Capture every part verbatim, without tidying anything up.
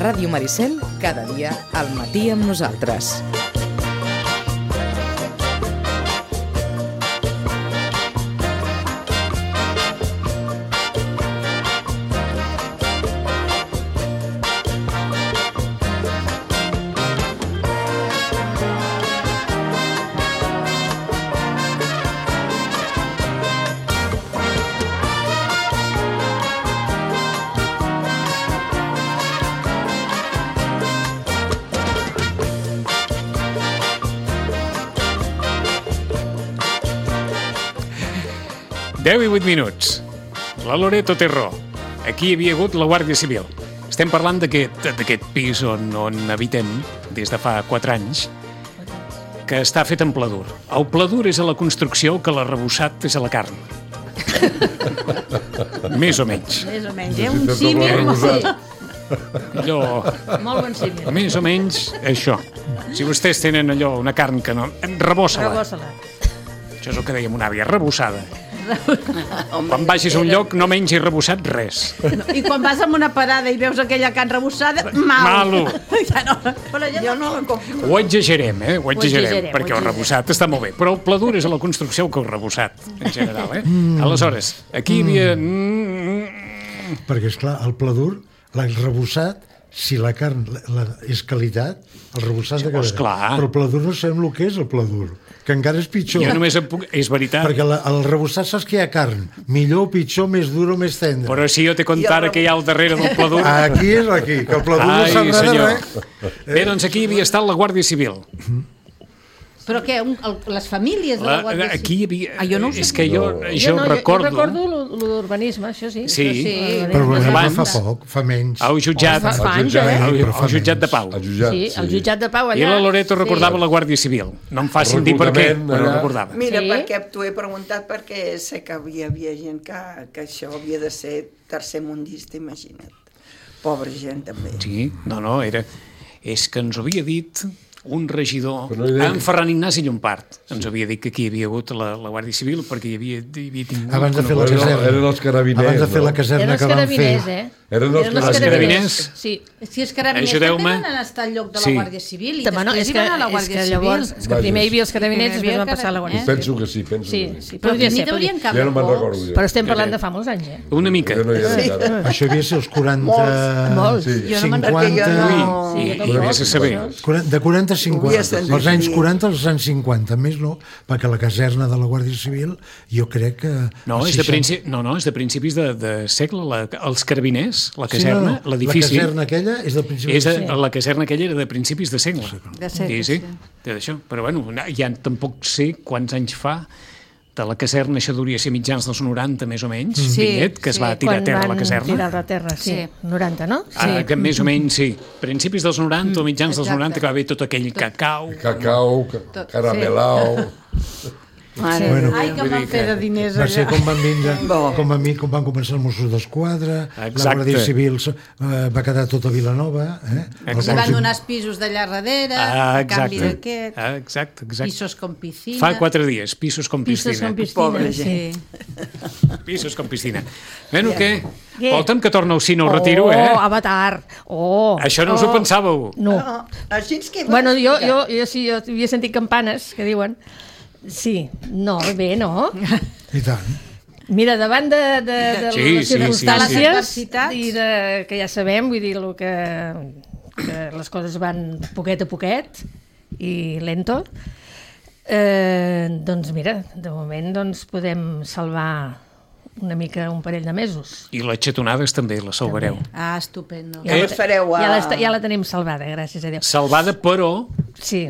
Ràdio Maricel, cada dia al matí amb nosaltres. deu i vuit minuts. La Loreto té raó. Aquí hi havia hagut la Guàrdia Civil. Estem parlant d'aquest pis on, on habitem des de fa quatre anys, que està fet en pladur. El pladur és a la construcció, que l'arrebossat és a la carn. Més o menys. Més o menys, eh? Un símil molt sí. Allò... Molt bon símil. Més o menys això. Si vostès tenen allò, una carn que no... Rebossa-la. Rebossa-la. Això és el que dèiem una àvia, rebossada. Quan vagis a un lloc no mengis rebossat res. I quan vas a una parada i veus aquella carn rebossada, mal. Malo. Ja no, però jo no la compro. Ho exagerem, eh? Ho exagerem, Ho exagerem, perquè ho el rebossat està molt bé. Però el pladur és a la construcció que el rebossat, en general, eh? Mm. Aleshores, aquí hi havia... Mm. Perquè, esclar, el pladur, el rebossat, si la carn la, la, és qualitat, el rebossat de qualitat. Però el pladur no sabem el que és el pladur, que encara és pitjor. Jo només em puc... És veritat. Perquè la, el rebossat saps que hi ha carn, millor, pitjor, més duro, més tendre. Però si jo t'he contat que hi ha al darrere del pladur... Aquí és aquí, que el pladur no s'agrada res. Bé, doncs aquí havia estat la Guàrdia Civil. Però què, un, el, les famílies de la Guàrdia Civil? Aquí hi havia... Ah, jo no ho sé. És que jo, no. jo, no, recordo... Jo recordo l'urbanisme, això sí. Sí. sí. Però l'urbanisme fa poc, fa menys. Au jutjat, fa, fa anys, eh? eh? Al jutjat de Pau. El jutjat, sí, el jutjat de Pau allà. I la Loreto recordava sí. la Guàrdia Civil. No em facin dir per què, però allà. recordava. Mira, Sí. perquè t'ho he preguntat perquè sé que hi havia gent que, que això havia de ser tercer mundista, imagina't. Pobra gent, també. Sí, no, no, era... És que ens havia dit... un regidor, no en Ferran Ignasi Llompart, ens havia dit que aquí hi havia hagut la, la Guàrdia Civil perquè hi havia, hi havia tingut... Abans de fer la caserna. Eren els carabiners. Abans de fer la caserna que van fer. Eh? Eren els carabiners. carabiners. Sí. Si els carabiners també van estar al lloc de la Sí. Guàrdia Civil i Bueno, després és hi que, van a la és Guàrdia que Civil. llavors, és que primer hi havia els carabiners i després van passar a la Guàrdia Civil. Civil. Penso que sí, penso Sí, que sí. sí, Però podria n'hi ser. deurien podria- cabre Ja no me'n pocs. recordo. Ja. Però estem parlant de fa molts anys, eh? Una mica. Jo no hi era Sí. encara. Això devia ser els quaranta... Molts. Sí. Jo no me'n cinquanta... recordo, Ui, no. i, Sí, i vés a saber. De quaranta a Ho cinquanta. havia sentit Els anys dir. quaranta als anys cinquanta, més no, perquè la caserna de la Guàrdia Civil jo crec que... No, als és de, seixanta principi, no, no, és de principis de, de segle. La, els carabiners, la Sí, caserna, no, no, l'edifici... La caserna aquella és de principis És de, de segle. la caserna aquella era de principis de segle. De segle, sí, sí. sí. De d'això. Però bueno, ja tampoc sé quants anys fa de la caserna, això hauria de ser mitjans dels noranta, més o menys, Sí, Pinet, que es va sí. tirar a Quan terra la van caserna. tirar a terra, sí. Sí. noranta, no? Ah, que més o menys, sí. Principis dels noranta o mitjans dels exacte. noranta, que va haver tot aquell cacau. Cacau, ca- caramelao... Mare. Bueno, Ai, que van fer de diners va ser allà. com van vindre, Bo. com van, vi- com van començar els Mossos d'Esquadra, la Exacte. Guàrdia Civil eh, va quedar tot a Vilanova, eh? Exacte. I van donar els pisos d'allà darrere, Ah, a canvi exacte. d'aquest, Ah, exacte, exacte. pisos com piscina. Fa quatre dies, pisos com Pisos piscina. com piscina. Pobra sí. Sí. Pisos com piscina. Bueno, què? Què? Volta'm que torna al cine, ho retiro, Oh, eh? Avatar. Oh. Això no us ho oh. pensàveu? No. No, així és que... Bueno, jo, jo, jo sí, jo havia sentit campanes que diuen... Sí, no, bé, no? I tant. Mira, davant de, de, de Sí, les sí, sí, circumstàncies sí. Adversitats. i de, que ja sabem, vull dir, lo que, que les coses van poquet a poquet i lento, eh, doncs mira, de moment doncs, podem salvar una mica un parell de mesos. I les xatonades també, les salvareu. Ah, estupendo. Ja les fareu a... Ja, la, ja la tenim salvada, gràcies a Déu. Salvada, però Sí,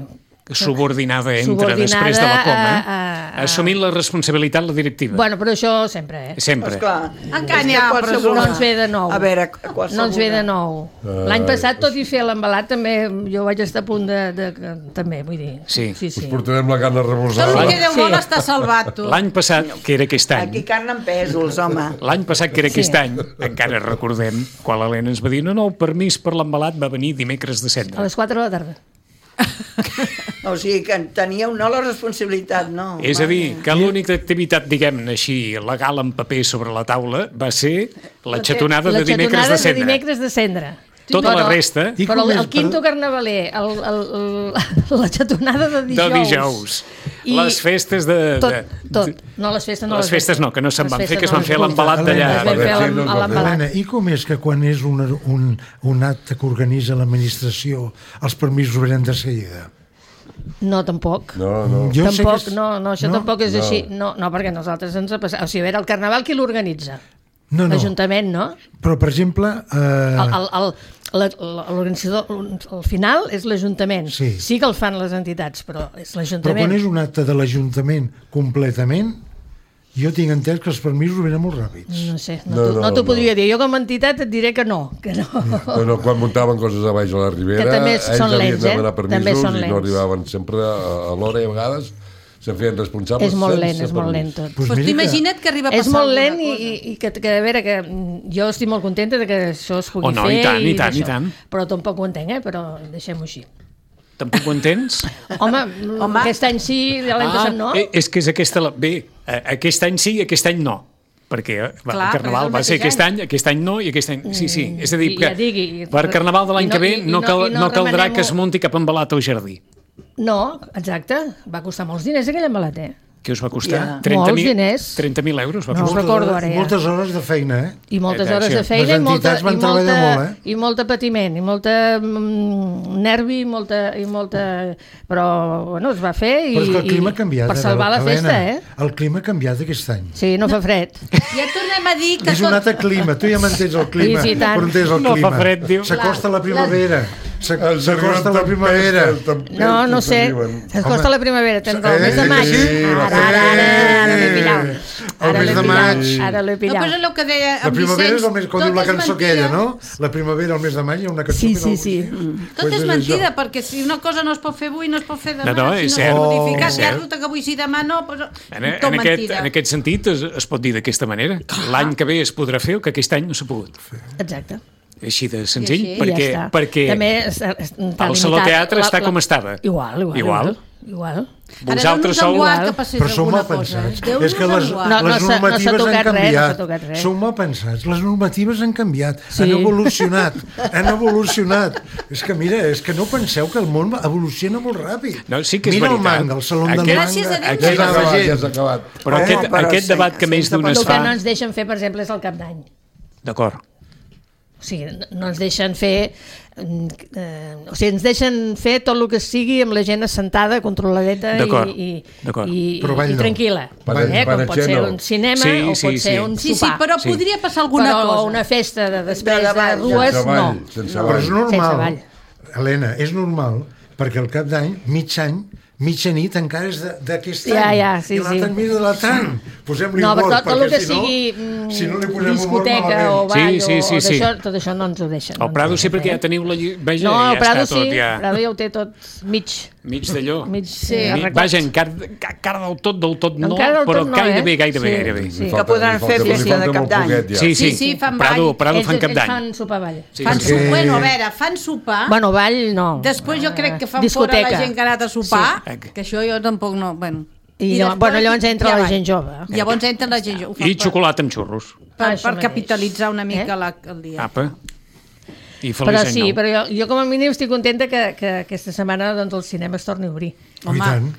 subordinada entre Subordinada després de la coma, a- a- assumint la responsabilitat la directiva. bueno, però això sempre, eh? Sempre. Esclar. Encara És n'hi que ha qualsevol- presó. No ens ve de nou. A veure, qualsevol... No ens ve de nou. Ah, L'any passat, tot i fer l'embalat, també jo vaig estar a punt de... de, de també, vull dir. Sí. sí, Us sí. portarem la carn Tot arrebossada. el que Déu Sí. vol està salvat, tu. L'any passat, que era aquest any, Aquí carn en pèsols, home. l'any passat, que era aquest Sí. any, encara recordem, quan l'Helena ens va dir no, no, el permís per l'embalat va venir dimecres de A cendra. les quatre de la tarda. O sigui, que teníeu no la responsabilitat, no. És a dir, que l'única activitat, diguem-ne així, legal en paper sobre la taula va ser la xatonada La de dimecres xatonada de cendra. de dimecres de cendra. tota la resta... Però el, el quinto carnavaler, el, el, el, la xatonada de dijous... De dijous. I les festes de... Tot, tot. No, les festes no. Les festes no, que no se'n van fer, que es van fer a no. l'embalat d'allà. Es van fer a l'embalat. Helena, i com és que quan és un, un, un acte que organitza l'administració, els permisos venen de seguida? No, tampoc. No, no. Jo sé Tampoc, que és- no, no, això no? tampoc és No. així. No, no, perquè nosaltres ens ha passat... O sigui, a veure, el carnaval qui l'organitza? No, no. L'Ajuntament, no? Però, per exemple... Eh... El, el, el, la- la- l'organitzador, al final és l'Ajuntament. Sí. Sí que el fan les entitats, però és Però l'Ajuntament. quan és un acte de l'Ajuntament completament, jo tinc entès que els permisos venen molt ràpids. No sé, no, No, no, no, no t'ho no. podria dir. Jo com a entitat et diré que no. Que no. No, no, quan muntaven coses a baix a la Ribera, Que també ells són havien lents, de eh? demanar També permisos són i no lents. arribaven sempre a, a l'hora i a vegades se'n feien responsables És molt sense lent, és molt permís. lent tot. Pues Pues mira tu imagina't que arriba a És passar molt alguna lent i, cosa. i, i que, que, a veure, que mm, jo estic molt contenta de que això es pugui Oh, no, fer. i tant, i tant, i d'això. tant. Però tampoc ho entenc, eh? Però deixem-ho així. Tampoc ho entens? Home, Home. aquest any sí, l'any Ah, passat no. eh, és que és aquesta... La... Bé, eh, aquest any sí i aquest any no. Perquè eh, va, Clar, el Carnaval però va és el ser aquest mateix any, aquest any no i aquest any... Sí, sí, és a dir, I que ja digui, per Carnaval de l'any i no- que ve i- i no, no- cal, i no no caldrà remenem-ho. que es munti cap embalat al jardí. No, exacte. Va costar molts diners aquell embalat, eh? Què us va costar? Ja. trenta Molts mil diners. trenta mil euros va No costar. us recordo ara, ja. Moltes hores de feina, eh? I moltes Eh, hores sí. de feina Les i molta, entitats van i molta, treballar molt, eh? i molta patiment, i molta mm, nervi, i molta, i molta... Però, bueno, es va fer i, Però és que el clima i ha canviat. per eh, salvar la Helena. festa, eh? El clima ha canviat aquest any. Sí, no fa fred. Ja tornem a dir que És un tot... altre clima, tu ja m'entens el clima, Sí, sí, tant. però entens el No fa clima. fred, diu. S'acosta la primavera, s'ac- Els s'acosta arriben la primavera. tempestes, tempestes No, no sé. arriben. Es costa la primavera, tens el Eh, mes de maig. sí, Ara, ara, ara, ara l'he pillat. El Ara mes l'he de pillat, maig. ara l'he No, però és pillat. el que deia La en primavera és Vicenç, el mes, com diu tot la és cançó mentida. aquella, no? La primavera, el mes de maig, hi ha una cançó Sí, que sí, no- sí. Tot Pues és és mentida, això. perquè si una cosa no es pot fer avui, no es pot fer demà. No, no, si és no cert. s'ha modificat, És ja cert. resulta que avui sí, demà no, doncs, En, en, tot aquest, mentida. en aquest sentit es, es pot dir d'aquesta manera. L'any que ve es podrà fer el que aquest any no s'ha pogut. Exacte. Així de senzill, I així. perquè, I ja està. perquè També es- es- està el Saló limitat Teatre la- està la- com estava. Igual, igual. Igual. Igual. Vosaltres Ara, sou... déu-nos-en guard que passés Però sou alguna mal cosa, eh? pensats. Déu-nos És que en les, guard. No, no les s'ha- no s'ha normatives han tocat res, no canviat. s'ha tocat res. Sou mal pensats. Les normatives han canviat. Sí. Han evolucionat. Han evolucionat. És que, mira, és que no penseu que el món evoluciona molt ràpid. No, sí que és mira veritat. el manga, el saló del Aquest- manga. Gràcies a Déu, Aquí ja Ja va s'ha la acabat, gent. ja s'ha acabat. Però Oh, aquest, però aquest sí, debat que sí, més sí, d'un però es El que fa... no ens deixen fer, per exemple, és el cap d'any. D'acord. O sigui, no ens deixen fer... Eh, o sigui, ens deixen fer tot el que sigui amb la gent assentada, controladeta D'acord, i, i, d'acord. i, Però ball i no. tranquil·la. Ball- eh? Com ball pot ser no. un cinema Sí, o sí, pot ser sí. un Sí, sí, sopar. però Sí. podria passar alguna però cosa. una festa de després De la de, ball, rues, sense no. ball, sense Però és ball. Sense normal, ball. Helena, és normal, perquè al cap d'any, mig any, mitja nit encara és de- d'aquest any. Ja, ja, sí, I l'altre sí. any de l'altre any. Posem-li No, humor, però tot, tot perquè el que si no, sigui mm, si no li posem humor, discoteca malament. o ball Sí, sí, sí, o, o sí. d'això, tot això no ens ho deixen. no El ens Prado ho sí, deixen perquè fer. ja teniu la... lli- Vaja, No, ja el Prado està tot, sí, ja... el Prado ja ho té tot mig. Mig d'allò. Mig Sí. eh, Mi- arreglat. Vaja, encara, encara del tot, del tot no, Encara del però tot no, gairebé, eh? gairebé, Sí. gairebé. Sí. Li Que falta- podran li falta- fer li festa falta de molt Cap d'any. poquet, ja. Sí, sí, Sí, sí, fan Prado, ball. Prado ells, fan cap ells d'any. fan sopar ball. Sí, Fan sí. sopar, bueno, a veure, fan sopar, Bueno, ball no. després jo crec que fan Discoteca. fora la gent que ha anat a sopar, Sí. que això jo tampoc no... Bueno. I llavors- bueno, llavors entra ja la va. gent jove. Llavors entra la gent jove. Ho fan I per- xocolata amb xurros. Per, Ah, això per mateix. capitalitzar una mica Eh? la, el dia. Apa. I feliç Però any sí, nou. però jo, jo com a mínim estic contenta que, que aquesta setmana doncs, el cinema es torni a obrir. I tant.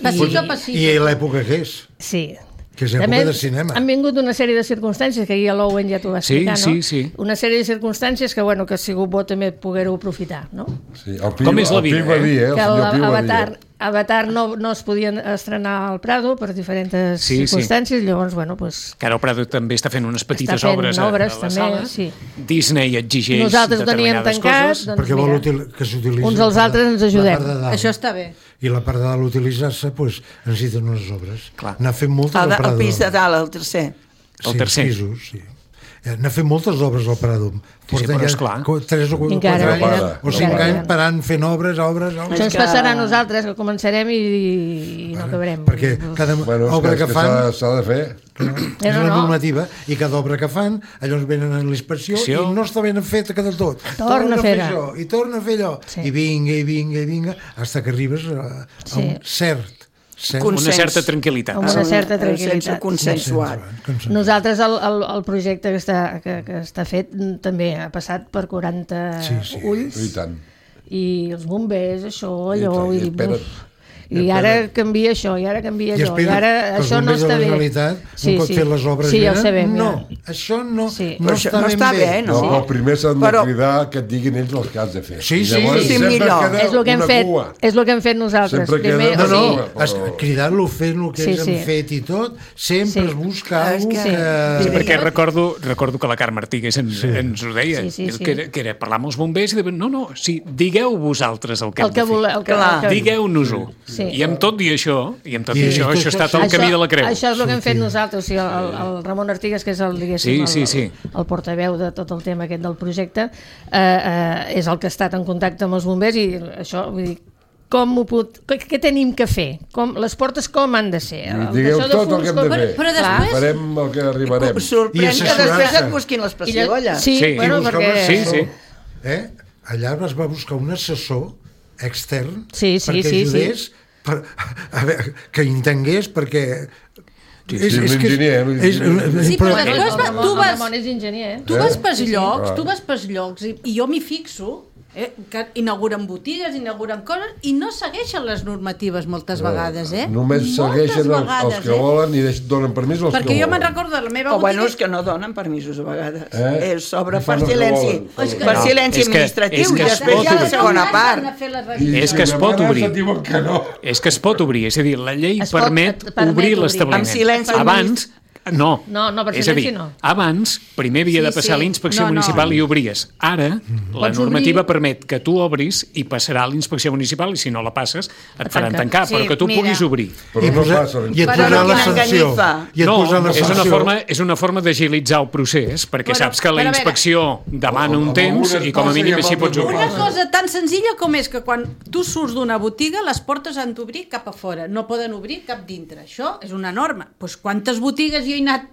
Passito a I passito. l'època que és, Sí. que és època de cinema. Han vingut una sèrie de circumstàncies, que ahir a l'Owen ja t'ho va Sí, explicar, sí, no? sí. Una sèrie de circumstàncies que, bueno, que ha sigut bo també poder-ho aprofitar, no? Sí, el Pi, Com és la el Pi vida, va eh? dir, eh? El que senyor Pi va dir. Avatar, Avatar no, no es podien estrenar al Prado per diferents Sí, sí. circumstàncies, llavors, bueno, pues, Que ara el Prado també està fent unes petites està fent obres, a, obres a la també, sala. sí. Disney exigeix Nosaltres ho teníem determinades tancat, coses. doncs Perquè vol mira, util, que s'utilitzi uns als la- altres ens la ajudem. part de dalt. Això està bé. I la part de dalt utilitzar-se, doncs, necessiten unes obres. Clar. N'ha fet moltes El, al de, Prado. el pis de dalt, el tercer. El sí, tercer. Pisos, sí. Eh, N'ha fet moltes obres al Prado. Porten però ja esclar. co- tres o quatre Encara, anys encara. o cinc Encara anys queden. parant fent obres, obres, Això obres. ens que- passarà a nosaltres, que començarem i, i no acabarem. Perquè cada Bueno, és obra que, que, és que fan s'ha- s'ha de fer. és no, una no. normativa i cada obra que fan llavors venen a l'inspecció Inspecció. i no està ben feta que del tot. Torna a fer-la. això i torna a fer allò Sí. i vinga, i vinga, i vinga fins que arribes a, a Sí. un cert una certa tranquil·litat. Amb una certa tranquil·litat. Consensuat. Nosaltres, el, el, el projecte que està, que, que està fet també ha passat per quaranta sí, sí. ulls. I tant. I els bombers, això, allò... I, i espera't. I ara canvia això, i ara canvia allò, i ara això no està bé. Els bombers de la Generalitat sí, un pot sí. fer les obres sí, bé, ja ho sabem, no, ja. això no, sí. no, això està, no ben està bé, bé. no? No, el primer s'han Però... de cridar que et diguin ells els que has de fer. Sí, sí, llavors, sí, millor. És el que hem fet, és el que hem fet nosaltres. Sempre Primer, queda... No, no, Sí. però... cridar-lo, fent el que Sí, ells sí. han fet i tot, sempre Sí. es busca És algú que- que... Sí, perquè recordo, recordo que la Carme Artigues ens, Sí. ens ho deia, Sí, sí, sí. Que, era, que era parlar amb els bombers i de, no, no, sí, digueu vosaltres el que El hem que de fer. voleu, el que, Clar. el que... Digueu-nos-ho. Sí. I amb tot i això, i amb tot i, I això, tot això està això- tot el camí de la creu. Això és el que hem fet Sortir. nosaltres, o sigui, el, el Ramon Artigues, que és el, diguéssim, Sí, sí, sí. el, el portaveu de tot el tema aquest del projecte, eh, eh, és el que ha estat en contacte amb els bombers i això, vull dir, com ho pot, què, què tenim que fer? Com, les portes com han de ser? I digueu Això de tot el que hem de fons, fer. Però després- Farem el que arribarem. Us sorprèn I que assessorar-se. després et busquin les pessigolles. Sí, Sí. bueno, I buscar perquè... un Sí, assessor, sí. Eh? Allà es va buscar un assessor extern Sí, sí, perquè sí, ajudés per, a veure, que entengués perquè Sí, sí, un enginyer, un és, enginyer. Sí, però Bueno, després el va- Ramon, tu el vas- Ramon és enginyer, eh? Tu vas pels Sí, sí. llocs, Ah. tu vas pels llocs i, i jo m'hi fixo, eh, que inauguren botigues, inauguren coses i no segueixen les normatives moltes vegades, eh? Només Moltes segueixen els, vegades, els que volen i deix, donen permís als Perquè que jo volen. me'n recordo de la meva O botiga... bueno, és que no donen permisos a vegades. Eh? Eh? S'obre I per fan el que silenci, volen. És que- per No, silenci és que- administratiu és que i es després pot ja la obrir. segona Van part. a fer les I, revisions. És que es i a pot vegades obrir. et diuen que no. És que es pot obrir, és a dir, la llei Es pot- permet, et permet obrir obrir. l'establiment. Amb silenci Abans, no. No, no, per és a dir, silenci no. abans, primer havia Sí, de passar sí. l'inspecció No, no. municipal i obries. Ara, la Pots normativa obrir- permet que tu obris i passarà a l'inspecció municipal i si no la passes et faran tanquen. tancar, Sí, però que tu mira. puguis obrir. Però i, no posar, passa. i et Però posar no la quina sanció enganyifa. i et No, posar la és una, sanció forma, és una forma d'agilitzar el procés, perquè Bueno, saps que la però a veure- inspecció demana un Amb temps algunes i com a passa i mínim amb així altres pots no obrir. Una passa. cosa tan senzilla com és que quan tu surts d'una botiga les portes han d'obrir cap a fora, no poden obrir cap dintre. Això és una norma. Pues quantes botigues jo he anat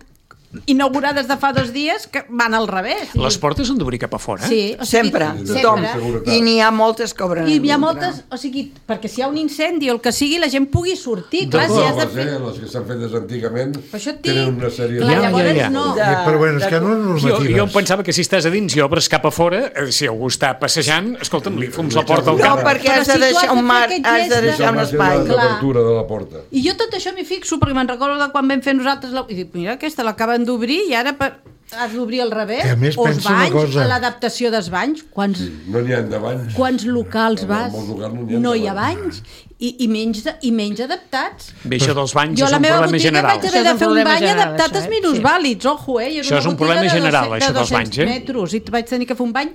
inaugurades de fa dos dies que van al revés. I... Les portes han d'obrir cap a fora? Sí, o sigui, Sempre, tothom. sempre. I n'hi ha moltes que obren. I hi ha dintre. moltes, o sigui, perquè si hi ha un incendi o el que sigui, la gent pugui sortir. Clar, si has de Les, fer... eh, les que s'han fet antigament Per això et dic, tenen una sèrie clar, Ja, ja, llavors ja. no. De- però bueno, és que no és Jo, normatives jo em pensava que si estàs a dins i obres cap a fora, eh, si algú està passejant, escolta'm, li fums la porta al No, cap. perquè Però has de si tu has deixar de un fer mar, aquest has de gest de- deixar un espai. de l'obertura de la porta. I jo tot això m'hi fixo, perquè me'n recordo de quan vam fer nosaltres... La... I dic, mira, aquesta l'acaben d'obrir i ara per... has d'obrir al revés. I a més, o els pensa una banys, cosa. a l'adaptació dels banys. Quants, No n'hi ha de banys. quants locals En vas? molts locals no n'hi ha No de hi ha banys. banys. I, i, menys, de, I menys adaptats. Bé, això dels banys Jo a és la un meva problema botiga general. vaig Això haver és de un fer un problema bany general, adaptat això, als eh? minusvàlids, ojo, eh? I era Això una és un botiga problema de general, dos- això de dels dos-cents banys, eh? metres, i vaig tenir que fer un bany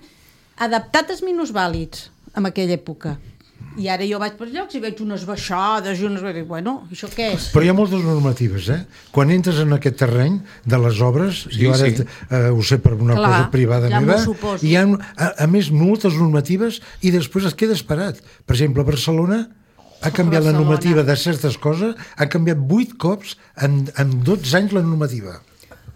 adaptat als minusvàlids en aquella època. I ara jo vaig per llocs i veig unes baixades i unes... I dic, bueno, això què és? però hi ha moltes normatives, eh? Quan entres en aquest terreny de les obres, Sí, jo ara sí. eh, ho sé per una Clar, cosa privada ja m'ho meva, suposo. hi ha, a, a més, moltes normatives i després es queda esperat. Per exemple, a Barcelona ha canviat la Barcelona. normativa de certes coses, ha canviat vuit cops en, en dotze anys la normativa.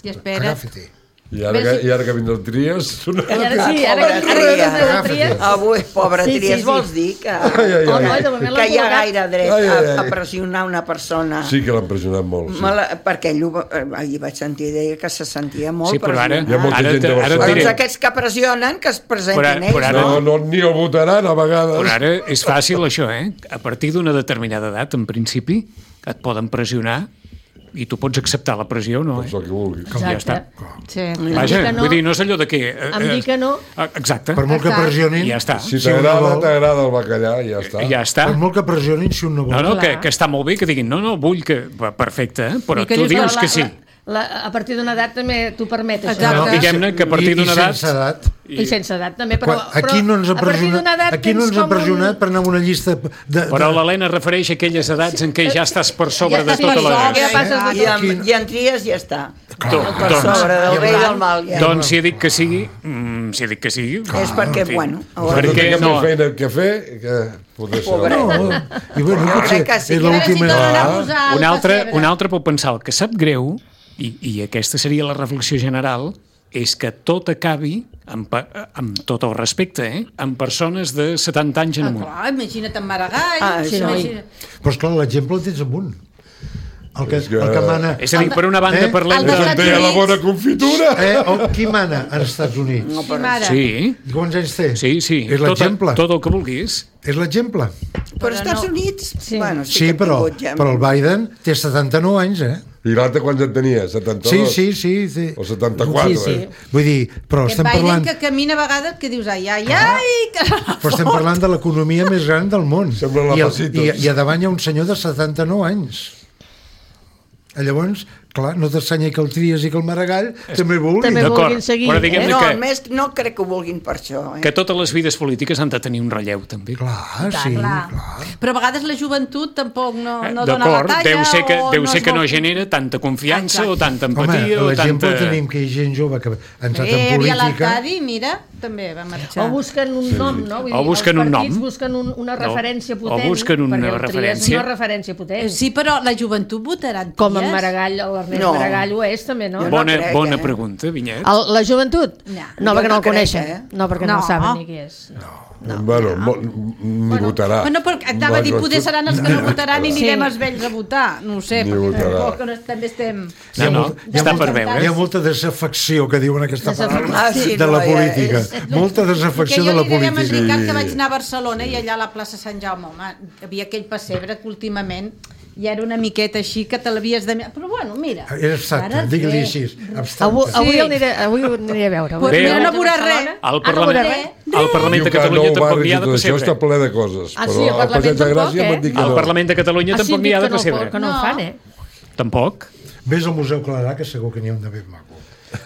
I espera't. Agafa-t'hi. I ara, que, i ara que vindrà el Tries... I ara sí, ara, Pobra ara que tria. has de tries... Avui, pobra Sí, sí, Tries, sí. vols dir que, ai, ai. Home, de moment l'han que hi ha col·locat. gaire dret Ai, ai, a, a ai. pressionar una persona? Sí que l'han pressionat molt. Sí. Me la, perquè ell ho, va- eh, ahir vaig sentir deia que se sentia molt Sí, però ara, pressionat. Hi ha molta ara, gent de te- ara et Barcelona. diré, Doncs aquests que pressionen, que es presentin Però ara- ells. però ara- No, no, ni el votaran a vegades. però ara és fàcil això, eh? A partir d'una determinada edat, en principi, et poden pressionar i tu pots acceptar la pressió, no? Doncs Eh? el que vulguis. Ja està. Sí. Vaja, dir que no- vull dir, no és allò de que... Eh, Em dir que no. eh, Exacte. Per molt que Exacte. pressionin, I ja està. Si Si un no t'agrada, vol- t'agrada el bacallà i ja està. Ja està. per molt que pressionin, si un no vol. No, no, que, Clar. que està molt bé que diguin, no, no, vull que... Perfecte, eh? però I que tu dius, dius la- que sí. La, la, a partir d'una edat també t'ho permet, això. Exacte. No, diguem-ne que a partir I- i d'una edat... sense edat. I sense edat també, però, Quan, aquí no ens ha però a partir d'una pressionat, edat aquí no tens ens ha com un- pressionat per anar a una llista de... de Però l'Helena refereix a aquelles edats en què ja estàs per sobre Ja de estàs tota per la... sobre, ja passes de I, tot. amb, I en Tries ja està. Do- Per doncs, sobre del bé i del mal. Ja. doncs si he dit que sigui, mm, si he dit que sigui... És perquè, en fi. bueno, Per haurà- no Perquè tinguem no- més feina que fer, que podria ser... Pobret. No, i bueno, Jo potser crec que sí. és A veure l'última... si tornen a Ah. posar el Un altre, pessebre. un altre pot pensar el que sap greu, i, i aquesta seria la reflexió general, és que tot acabi, amb, amb tot el respecte, eh, amb persones de setanta anys en amunt. Ah, clar, imagina't en Maragall. Ah, sí, imagina... Però, esclar, l'exemple el tens amunt. El que, el que mana... És a dir, per una banda eh? parlem El de... de- Té la bona confitura. Eh? O, qui mana als Estats Units? No, però, Mare. Sí, I quants anys té? sí, sí. És Tot, l'exemple. tot el que vulguis. És l'exemple. però als Estats no. Units, Sí. bueno, sí, Sí, que ha però, tingut ja... però el Biden té setanta-nou anys, eh? I l'altre quants en tenia? Sí, setanta-dos? sí, sí. sí. O setanta-quatre? Sí, sí. Eh? Vull dir, però Aquest estem Biden parlant... que camina a vegades que dius ai, ai, ai, que se la Però estem fot. parlant de l'economia més gran del món. Sembla la I, el, Pacitos. i, I a davant hi ha un senyor de setanta-nou anys. Llavors, clar, no t'estranya que el Trias i que el Maragall també vulguin. També D'acord, vulguin seguir. però eh? diguem- No, que- a més, no crec que ho vulguin per això. Eh? Que totes les vides polítiques han de tenir un relleu, també. Clar, sí, clar. clar. Però a vegades la joventut tampoc no, Eh, no dona la D'acord, talla deu ser que, o deu ser es que no vol- genera tanta confiança Exacte. o tanta Home, empatia o l'exemple tanta... tenim que hi ha gent jove que ha entrat Eh, en hi havia política... l'Arcadi, mira, també va marxar. O busquen un nom, no? Vull O dir, busquen els un partits nom. busquen un, una No. referència O potent. busquen una perquè el Trias referència. és una referència potent. Sí, però la joventut votarà en Com en Trias. Maragall, l'Ernest No. Maragall ho és, també, no? Jo no Bona, crec, bona eh? pregunta, Vinyet. El, la joventut? No. No, Jo perquè no no el crec, coneixen. eh? No, perquè no, No. saben ni qui és. No, bueno, mo- ni votarà. Bueno, però anava a dir, poder seran els que no votaran i Sí. anirem els vells a votar. No ho sé, Ni perquè votarà. tampoc no- també estem... No, no, molta- hi ha està molta- per veure. Hi ha molta desafecció, que diuen aquesta Desafecció. paraula, Ah, sí, de no, la ja política. és- Molta desafecció que de jo la li deia a política. Ricard que vaig anar a Barcelona i allà a la plaça Sant Jaume, home, hi havia aquell pessebre que últimament ja era una miqueta així que te l'havies de... Però bueno, mira... Era abstracte, ara digue-li bé. així, Avui, abstracte. avui, Sí. el aniré, avui ho aniré a veure. Pues Bé, mira, no al- veuràs res. Al Ah, no Parlament, veurà res? al Parlament de Diu que Catalunya nou tampoc barris n'hi i ha de tot això està pessebre. ple de coses. Ah, sí, però al al Parlament Passeig de tampoc, Gràcia eh? m'han dit que Al no. Parlament de Catalunya Ah, tampoc n'hi ha de que no, pessebre. que no No. ho fan, eh? Tampoc. Vés al Museu Clarà, que segur que n'hi ha un de ben maco.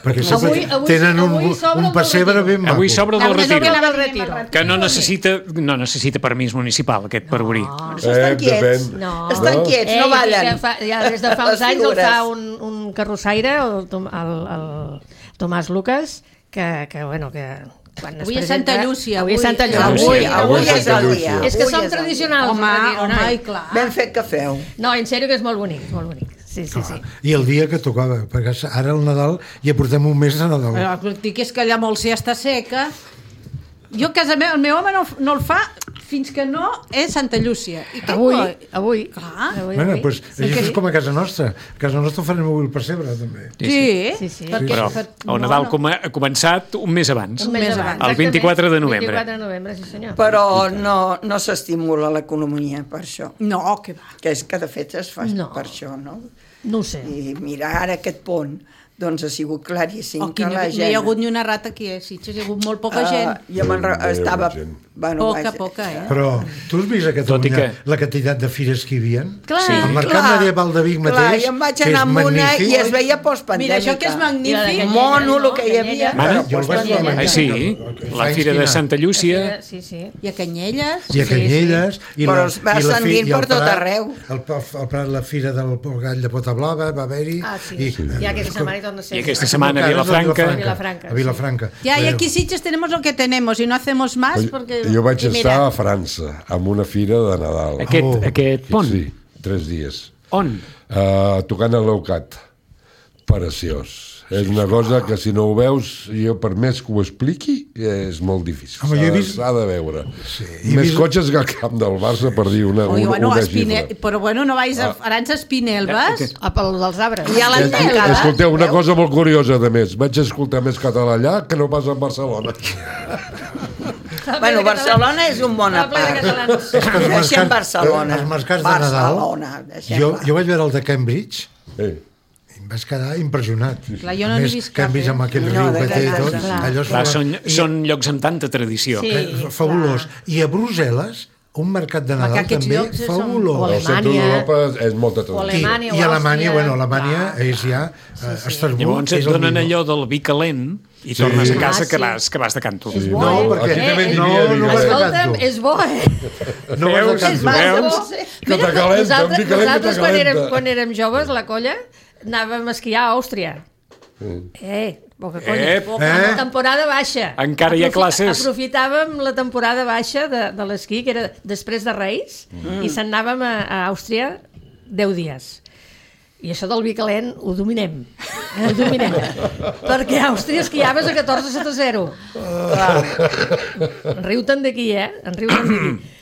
Perquè sempre Avui- avui- tenen un, avui s'obre un el pessebre del ben maco. Avui s'obre del Avui retiro. s'obre Del del retiro. retiro. Que no necessita, no necessita permís municipal, aquest pergorí. Però això estan Eh, quiets. depèn. No. Estan quiets, no Ell, ballen. Ja, fa, ja des de fa uns Les anys el figures. fa un, un carrossaire, el, Tom- el, el Tomàs Lucas, que, que bueno, que... Quan Avui es és Santa presenta- Llúcia, Avui és avui- Santa Llúcia. Avui, Llúcia. avui Avui és Santa el Llúcia. dia. És que avui som és el dia. tradicionals. Home, de retiro, home, noi. i clar. Ben fet que feu. No, en sèrio que és molt bonic, és molt bonic. Sí, sí, sí. I el dia que tocava, perquè ara el Nadal ja portem un mes de Nadal. Però el que et dic és que allà molt ja està seca. Jo a casa meva, el meu home no, no el fa fins que no és Santa Llúcia. I què Avui, coi? avui. Clar. avui, Bueno, avui. pues, això és com a casa nostra. A casa nostra farem avui el pessebre, també. Sí, Sí, sí. perquè Però per- el Nadal com ha començat un mes abans. Un mes més abans. abans. El vint-i-quatre de novembre. vint-i-quatre de novembre, sí senyor. Però no, no s'estimula l'economia per això. No, que va. Que és que de fet es fa No. per això, no? No ho sé. I mira, ara aquest pont, doncs ha sigut claríssim O que que no, la no gent... hi ha hagut ni una rata aquí a Sitges, hi ha hagut molt poca gent. Uh, jo me'n re... Déu, estava... gent. Bueno, Poca, vaja, poca, eh? Però tu has vist a Tot i Catalunya que- la quantitat de fires que hi havia? Clar, Sí. El mercat Clar, medieval de Vic clar, mateix, jo em vaig que és anar amb una magnífic. i es veia postpandèmica. Mira, això que és I la de magnífic. Canyelles, Mono, el no? que hi havia. Mare, però jo el vaig postpandèmica. veure. Ah, sí, la Fa Fira de esquina. Santa Llúcia. Sí, sí. I a Canyelles. I a Canyelles. I Però la, es va i la fi- ascendint i el per tot Prat, arreu. El, el Prat, la fira del Gall de Pota Blava va haver-hi. Ah, sí. I aquesta setmana hi torna a ser. I aquesta setmana a Cares, Vilafranca. Vilafranca, A Vilafranca. Ya, y aquí Sitges tenemos lo que tenemos y no hacemos más porque... Jo vaig y mira, estar a França, amb una fira de Nadal. Aquest, Oh. aquest pont. Sí, tres dies. On? Uh, tocant a l'Eucat. Preciós. És una cosa que si no ho veus, jo per més que ho expliqui, és molt difícil. Home, jo he S'ha vist- s'ha de veure. Sí, he Més vist- cotxes que el camp del Barça per dir una, Oye, una, bueno, una Espine... xifra. Però bueno, no vais Ah. a Arança Espinelves. A pel dels arbres. I a l'han tancada. Escolteu, una Veus? cosa molt curiosa, de més. Vaig escoltar més català allà que no pas a Barcelona. Bueno, Barcelona és un bon Està ple de apart. catalans. És que els Deixem mercats- Barcelona. Els mercats de Barcelona, Nadal, deixem-la. jo, jo vaig veure el de Cambridge Eh. i em vaig quedar impressionat. Clar, jo no A n'he més, vist cap, Cambridge eh? amb aquell No, riu de que té i veritat, tot, clar. allò és Clar, fa- són, i- són llocs amb tanta tradició. Sí. eh, fabulós. I a Brussel·les, un mercat de Nadal aquests també llocs són- fabulós. O El centre Alemanya. d'Europa és molta O tradició. Alemanya. I, i o Alemanya, Àustria. bueno, Alemanya Clar. és ja eh, Estrasburg, Llavors et és el donen millor. allò del vi calent i tornes a casa Ah, que sí. vas, que vas de canto. És bo, No, eh? perquè Aquí també Eh, n'hi no, havia no vi vas de calent. Escolta'm, canto. és bo, eh? No vas de Veus? canto. Veus? Que t'acalenta, un vi calent que nosaltres quan érem, t'acalenta. quan érem joves, la colla, anàvem a esquiar a Àustria. Eh, poca conya. Eh, Poca. eh. En temporada baixa. Encara hi ha classes. Aprofitàvem la temporada baixa de, de l'esquí, que era després de Reis, mm. i se'n anàvem a, a Àustria deu dies. I això del vi calent ho dominem. el dominem. Perquè Àustria esquiaves a catorze sota zero. En riu-te'n d'aquí, eh? En riu-te'n d'aquí.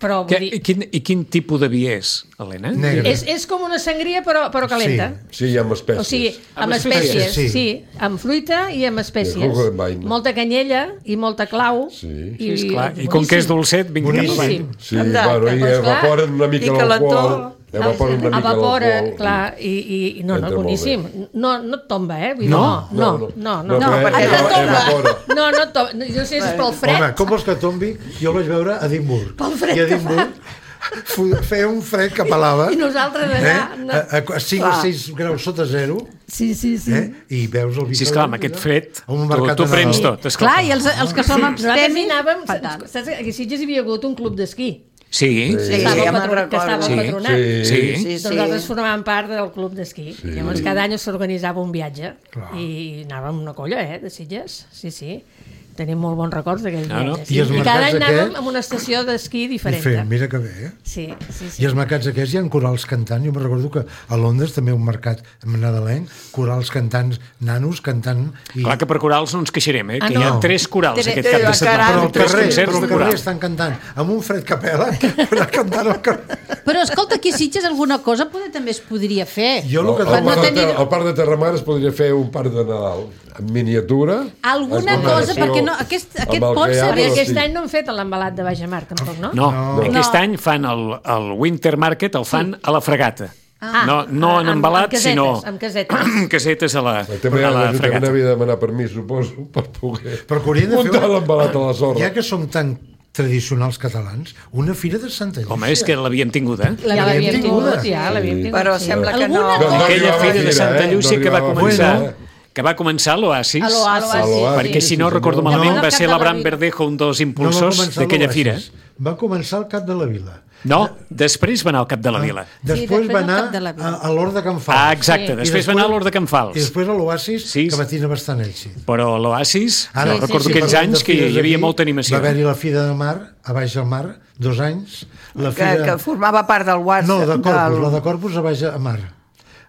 Però, vull Que, dir, i, quin, I quin tipus de vi és, Helena? Negre. és, és com una sangria, però, però calenta. Sí, amb espècies. O sigui, amb Amb espècies, espècies, sí. sí. Amb fruita i amb espècies. I jugo de vaina. Molta canyella i molta clau. Sí. I, Sí, esclar. I com que és dolcet, vinga, Boníssim. endavant. Sí, Amb data. bueno, i Doncs clar, evaporen una mica i calentó. l'alcohol. Evaporen una mica Evapora, l'alcohol. clar, i, i, i no, no, Entra molt boníssim. No, no et tomba, eh? Vull dir, No? no, no, no. no, No, no, però perquè eva- no tomba. evapora. no, no et tomba. No, jo no sé si és pel fred. Home, com vols que tombi? Jo el vaig veure a Edimburg. Pel fred I a que Edimburg fu- feia un fred que pelava. I nosaltres Eh? allà... No. A, a, a cinc o Clar. sis graus sota zero. Sí, sí, sí. Eh? I veus el vi. Sí, esclar, amb aquest fred, A un tu, mercat tu de Nadal. prens tot, esclar. Clar, i els, els que som Nosaltres hi abstemis... anàvem... fatal. Saps que a Sitges hi havia hagut un club d'esquí. Sí, Sí, Que estava, ja al me'n patro, que estava al recordo. Sí, patronat. Sí. sí. Sí, Doncs sí. nosaltres formàvem part del club d'esquí. Sí. Llavors cada any s'organitzava un viatge i anàvem una colla, eh, de Sitges. Sí, sí. Tenim molt bons records d'aquell No, no. viatge. I Sí. els I cada any mercats anàvem aquests- a una estació d'esquí diferent. Diferent, mira que bé, eh? Sí, sí, sí. I els mercats aquests hi ha corals cantant. Jo me recordo que a Londres també un mercat nadalenc, corals cantants, nanos cantant. I... Clar que per corals no ens queixarem, eh? Ah, Que hi ha no. tres corals Tre- aquest cap de caram. setmana. Però al Tres carrer, concerts però al de carrer coral. estan cantant amb un fred que pela, anar cantant al carrer. Però escolta, aquí a Sitges alguna cosa poder, també es podria fer. Jo el que Al, al, no parc de, tenir- Ter- al parc de Terramar es podria fer un parc de Nadal en miniatura. Alguna amb cosa, relació perquè no, aquest, amb aquest el pot que hi ha, ser... Perquè però aquest sí. any no han fet l'embalat de Baix Mar, tampoc, no? No, No. aquest No. any fan el, el Winter Market, el fan a la fregata. Ah, no, no en amb- embalat, amb casetes, sinó amb casetes. casetes a la, També a la l'Ajuntament fregata. havia de demanar permís, suposo, per poder Però que haurien de fer... muntar l'embalat a la sorra. Ja que som tan tradicionals catalans, una fira de Santa Llúcia. Home, és que l'havíem tingut, eh? Ja l'havíem tinguda. tingut, ja l'havíem tingut. Però sí. sembla que Alguna no. cosa- no Aquella arribava fira de a Santa eh? Llúcia No que va arribava a començar... fira, eh? que va començar a l'Oasis, A l'Oasis, A l'Oasis, perquè si no sí, recordo senyor. malament No, va no, ser Cap de la l'Abraham Vila. Verdejo un dels No va impulsors començar d'aquella l'Oasis, fira. Va començar al Cap de la Vila. No, després va anar al Cap de la Vila. Després, després va al anar Cap de la Vila. a, a l'Hort de Can Fals. Ah, exacte, Sí. després I va anar a després- l'Hort de Can I Fals. després a l'Oasis, Sí. que va tenir bastant èxit. Però l'Oasis, Ara, no, recordo sí, aquells parlant de anys que fires hi havia aquí, molta animació. Va haver-hi la Fira de Mar, a Baix del Mar, dos anys. La Que, fira... que formava part del WhatsApp. No, de Corpus, del... la de Corpus a Baix a Mar.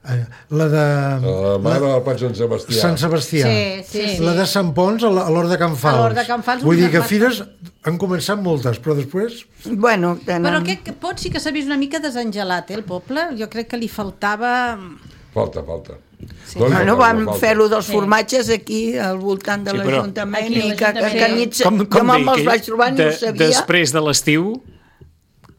Eh, La de... La mare del Pat Sant Sebastià. Sant Sebastià. Sí, sí, sí. La de Sant Pons a la- a l'Hort de Can Fals. A l'Hort de Can Fals, Vull una dir que massa. fires han començat moltes, però després... Bueno, tenen... Però aquest pot sí que s'ha vist una mica desengelat, eh, el poble. Jo crec que li faltava... Falta, falta. Sí. No li Bueno, falta, vam falta. fer-lo dels formatges aquí al voltant de Sí, però- l'Ajuntament Aquí a i que, que, l'Ajuntament. que nit, Com, jo com me'n deia, els vaig trobar i no ho sabia. després de l'estiu,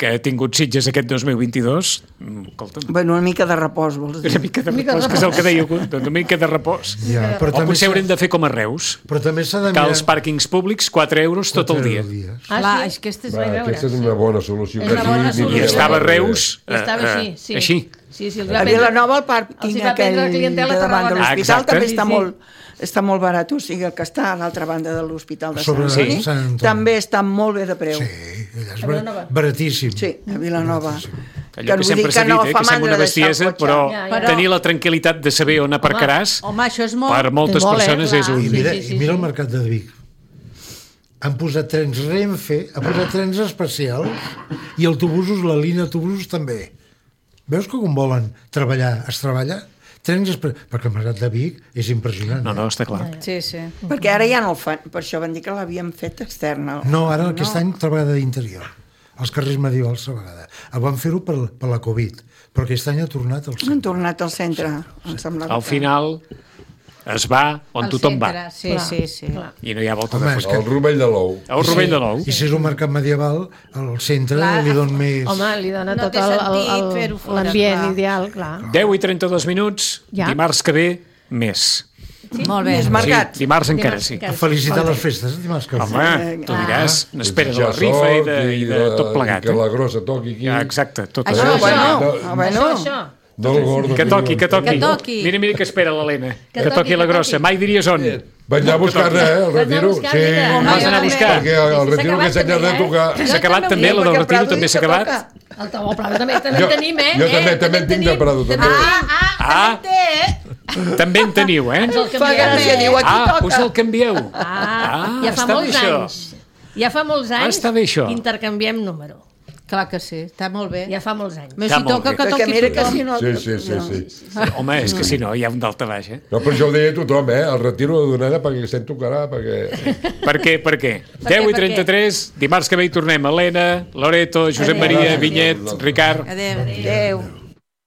que ha tingut Sitges aquest dos mil vint-i-dos, mm, escolta'm, Bueno, una mica de repòs, vols dir. una mica de mica de repòs, que és el que deia algú, una mica de repòs. Ja, però O també potser s'ha- haurem de fer com a Reus, Però també s'ha de que mirar... als pàrquings públics quatre euros tot el dia. Ah, Clar, sí? és que este és... Va, veure, aquesta és sí. una bona solució. És que una aquí bona ni- solució. I estava a Reus I estava eh, així, eh, sí. així. Sí, sí, els A va prendre... Vilanova el els pàrquing hi va aquell prendre de clientela a davant de Tarragona. l'hospital Ah, també exacte. està Sí, sí. molt, està molt barat, o sigui, el que està a l'altra banda de l'Hospital de Sant Sobre Antoni Sant Antoni. també està molt bé de preu. Sí, allà és A Vilanova. bar- baratíssim. Sí, a Vilanova. Allò que vull sempre dir s'ha dit, no eh, fa que sembla una mandra deixar el bestiesa, cotxe. però Ja, ja. tenir la tranquil·litat de saber on aparcaràs Home, això és molt... per moltes És molt, eh, persones clar. és un... I Sí, mira, sí, sí, i mira sí. el mercat de Vic. Han posat trens Renfe, ha posat trens especials i autobusos, la línia autobusos també. Veus que com volen treballar, es treballa? Trens espe... Perquè el mercat de Vic és impressionant. No, eh? no, està clar. Sí, sí. Perquè ara ja no el fan, per això van dir que l'havien fet externa. No, ara aquest any treballa d'interior. Els carrers medievals a vegada. El van fer-ho per, per la Covid, però aquest any ha tornat al Han centre. tornat al centre, em semblava. Al final es va on Al tothom centre, va Sí, Clar, sí, sí. clar. i no hi ha volta Home, de és fora. El Rovell de l'Ou. El Rovell de l'Ou. I si és un mercat medieval, al centre Clar. li don més... Home, li dona No tot té el- sentit el- fer-ho el- fora, l'ambient clar. ideal, clar. deu i trenta-dos minuts, Ja. dimarts que ve, més. Sí? Molt bé. És Sí, mercat. dimarts encara Dimarts sí. encara. A felicitar les festes, dimarts que ve. Home, tu diràs, n'espera de la Ja rifa i sort, de, i de tot plegat. I que la Eh? grossa toqui aquí. Ja, exacte, tot Això, això. bueno, no, ah, bueno. Això, això. No el gordo. Que toqui, que toqui. Que toqui. Mira, mira que espera l'Helena. Que, toqui, toqui la que grossa. toqui. Mai diries on. Vaig anar a buscar-ne, eh, el Vas anar a retiro. buscar, Sí, mira. Home, Vas anar a jo buscar. perquè el Sí, retiro s'ha que s'ha acabat de també, tocar... eh? S'ha acabat també, la del perquè retiro Prado també s'ha que acabat. toca. El Tau Prado també, també Jo- en tenim, eh? jo també- eh? també en tinc de Prado, també. Ah, ah, Ah. també té. També en teniu, eh? Ens el Fa canviem. gràcia, diu, aquí Ah, toca. us el canvieu. Ah, Ah, ja fa està bé molts això. anys. Ja fa molts Ah, anys està bé això. intercanviem número. Clar que sí, està molt bé. Ja fa molts anys. Més Està si molt toca bé. que Perquè toqui mira que tothom. si no... Sí, sí, sí, sí. Home, és que si no, hi ha un dalta baix, eh? No, però això ho deia tothom, eh? El retiro de donada perquè se'n tocarà, perquè... Per què, per què? deu i trenta-tres, dimarts que ve hi tornem. Helena, Loreto, Josep Adéu. Maria, Adéu. Vinyet, Ricard... Adéu. Adéu.